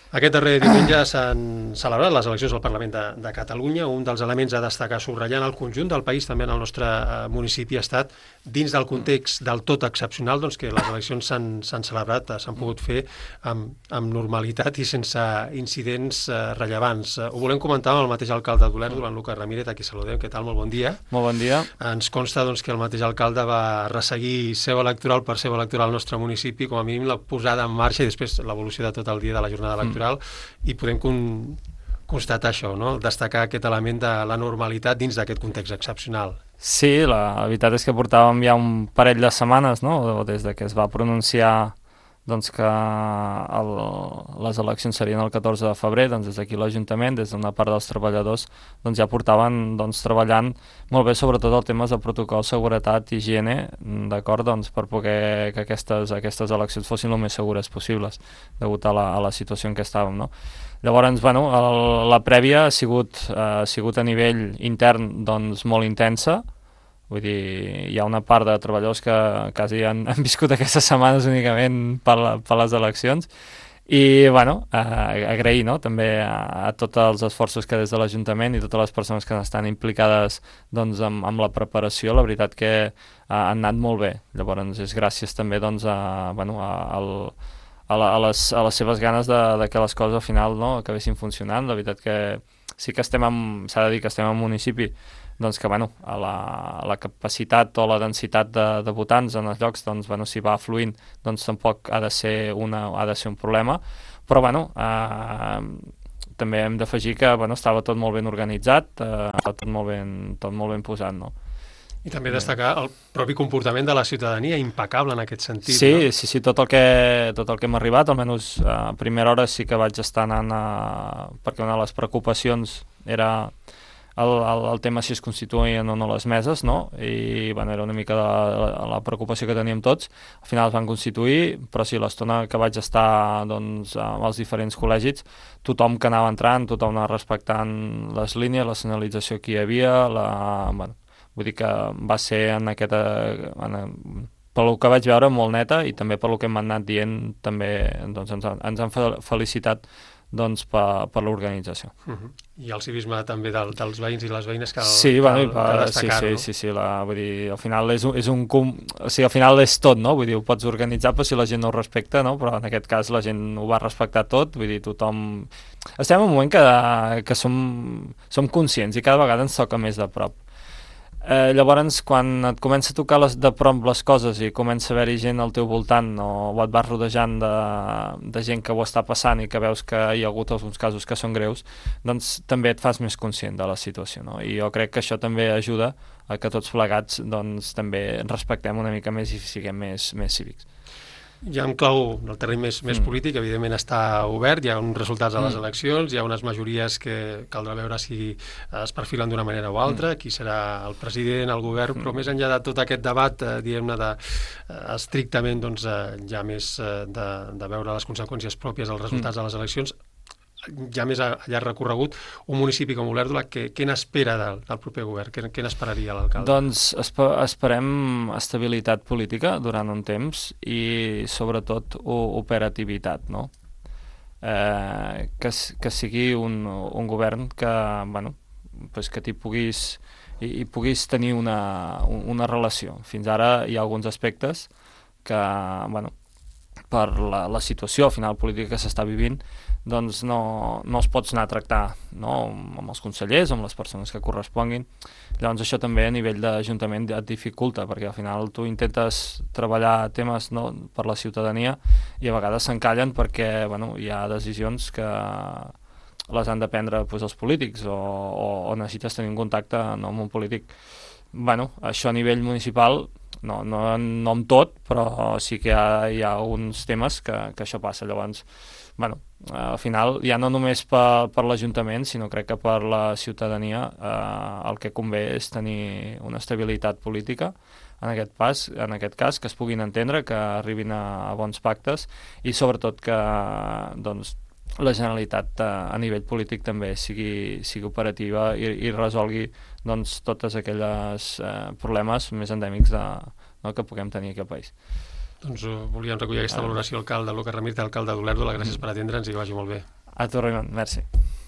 Aquest darrer diumenge s'han celebrat les eleccions al Parlament de Catalunya. Un dels elements a destacar sobratllant el conjunt del país, també en el nostre municipi, ha estat dins del context del tot excepcional, doncs que les eleccions s'han celebrat, s'han pogut fer amb normalitat i sense incidents rellevants. Ho volem comentar amb el mateix alcalde d'Olèrdola, en Lucas Ramírez, a qui saludem. Què tal? Molt bon dia. Molt bon dia. Ens consta doncs, que el mateix alcalde va resseguir seu electoral per seu electoral al nostre municipi, com a mínim la posada en marxa i després l'evolució de tot el dia de la jornada electoral, i podem constatar això, no? Destacar aquest element de la normalitat dins d'aquest context excepcional. Sí, la veritat és que portàvem ja un parell de setmanes, no?, des de que es va pronunciar doncs, que les eleccions serien el 14 de febrer, doncs des d'aquí l'Ajuntament, des d'una part dels treballadors, doncs ja portaven doncs, treballant molt bé, sobretot el temes de protocol, seguretat i higiene, d'acord, doncs, per poder que aquestes eleccions fossin el més segures possibles, degut a la situació en què estàvem, no? Llavors, bueno, la prèvia ha sigut a nivell intern doncs, molt intensa. Vull dir, hi ha una part de treballadors que quasi han viscut aquestes setmanes únicament per les eleccions i, bueno, agrair, no?, també a tots els esforços que des de l'Ajuntament i totes les persones que estan implicades doncs, amb la preparació, la veritat que han anat molt bé. Llavors, és gràcies també doncs, a les seves ganes de que les coses al final, no?, acabessin funcionant. La veritat que sí que s'ha de dir que estem en un municipi doncs que, bueno, la capacitat o la densitat de votants en els llocs, doncs, bueno, si va fluint, doncs tampoc ha de ser un problema, però, bueno, també hem d'afegir que, bueno, estava tot molt ben organitzat, tot molt ben posat, no? I també destacar el propi comportament de la ciutadania, impecable en aquest sentit. Sí, no? Sí, tot el que hem arribat, almenys a primera hora sí que vaig estar anant perquè una de les preocupacions era el tema si es constituïen o no les meses, no? I, bueno, era una mica la preocupació que teníem tots. Al final es van constituir, però sí, l'estona que vaig estar doncs, als diferents col·legis, tothom que anava entrant, tothom anava respectant les línies, la senyalització que hi havia, bueno, vull dir que va ser pel que vaig veure molt neta i també pel que m'han anat dient també doncs, ens han felicitat doncs, per l'organització. I el civisme també dels veïns i les veïnes que sí, destacar, no? Sí, vull dir, al final al final és tot, no? Vull dir, ho pots organitzar però si la gent no ho respecta, no? Però en aquest cas la gent ho va respectar tot, vull dir, tothom... Estem en un moment que som conscients i cada vegada ens toca més de prop. Llavors, quan et comença a tocar de prop les coses i comença a haver-hi gent al teu voltant o et vas rodejant de gent que ho està passant i que veus que hi ha hagut alguns casos que són greus, doncs també et fas més conscient de la situació, no? I jo crec que això també ajuda a que tots plegats doncs, també respectem una mica més i siguem més cívics. Ja en clau del terreny més polític, evidentment està obert, hi ha uns resultats a les eleccions, hi ha unes majories que caldrà veure si es perfilen d'una manera o altra, qui serà el president, el govern, però més enllà de tot aquest debat, diguem-ne, estrictament doncs, ja més de veure les conseqüències pròpies dels resultats de les eleccions, ja més a llarg recorregut, un municipi com Olèrdola, què n'espera del proper govern? Què n'esperaria l'alcalde? Doncs esperem estabilitat política durant un temps i sobretot operativitat, no? Que sigui un govern que, bueno, pues que t'hi puguis tenir una relació. Fins ara hi ha alguns aspectes que, bueno, per la situació final política que s'està vivint, doncs no els pots anar a tractar, no?, amb els consellers, amb les persones que corresponguin. Llavors això també a nivell d'Ajuntament et dificulta, perquè al final tu intentes treballar temes, no?, per la ciutadania i a vegades s'encallen perquè, bueno, hi ha decisions que les han de prendre doncs, els polítics o necessites tenir un contacte amb un polític. Bueno, això a nivell municipal no amb tot, però sí que hi ha uns temes que això passa. Llavors, bueno, al final ja no només per l'Ajuntament, sinó crec que per la ciutadania el que convé és tenir una estabilitat política en aquest cas, que es puguin entendre, que arribin a bons pactes i sobretot que doncs, la Generalitat a nivell polític també sigui operativa i resolgui doncs, tots aquells problemes més endèmics que puguem tenir aquí al país. Doncs volíem recollir aquesta valoració, alcalde Lucas Ramírez, alcalde d'Olèrdola. Gràcies per atendre'ns i que vagi molt bé. A tu, Raimon, merci.